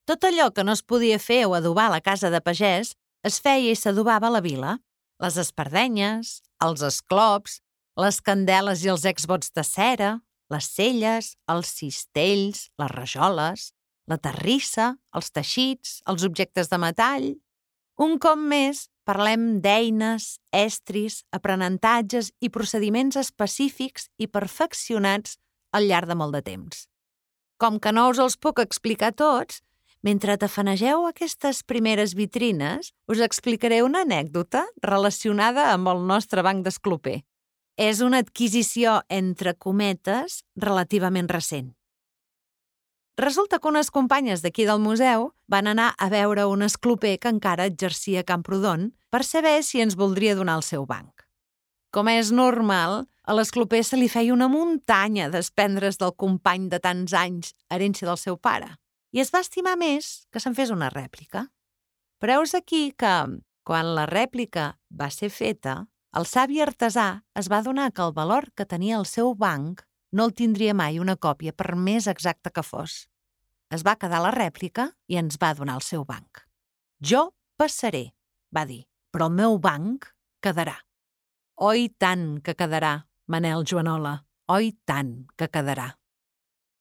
Tot allò que no es podia fer o adobar a la casa de pagès es feia i s'adobava a la vila. Les espardenyes, els esclops, les candeles i els exvots de cera, les celles, els cistells, les rajoles, la terrissa, els teixits, els objectes de metall. Un cop més, parlem d'eines, estris, aprenentatges i procediments específics i perfeccionats al llarg de molt de temps. Com que no us els puc explicar tots, mentre tafanegeu aquestes primeres vitrines, us explicaré una anècdota relacionada amb el nostre banc d'escloper. És una adquisició, entre cometes, relativament recent. Resulta que unes companyes d'aquí del museu van anar a veure un escloper que encara exercia a Camprodon per saber si ens voldria donar el seu banc. Com és normal, a l'escloper se li feia una muntanya d'espendres del company de tants anys, herència del seu pare, i es va estimar més que se'n fes una rèplica. Però heus aquí que, quan la rèplica va ser feta, el savi artesà es va adonar que el valor que tenia el seu banc no el tindria mai una còpia, per més exacta que fos. Es va quedar la rèplica i ens va donar el seu banc. Jo passaré, va dir, però el meu banc quedarà. Oi tant que quedarà, Manel Joanola, oi tant que quedarà.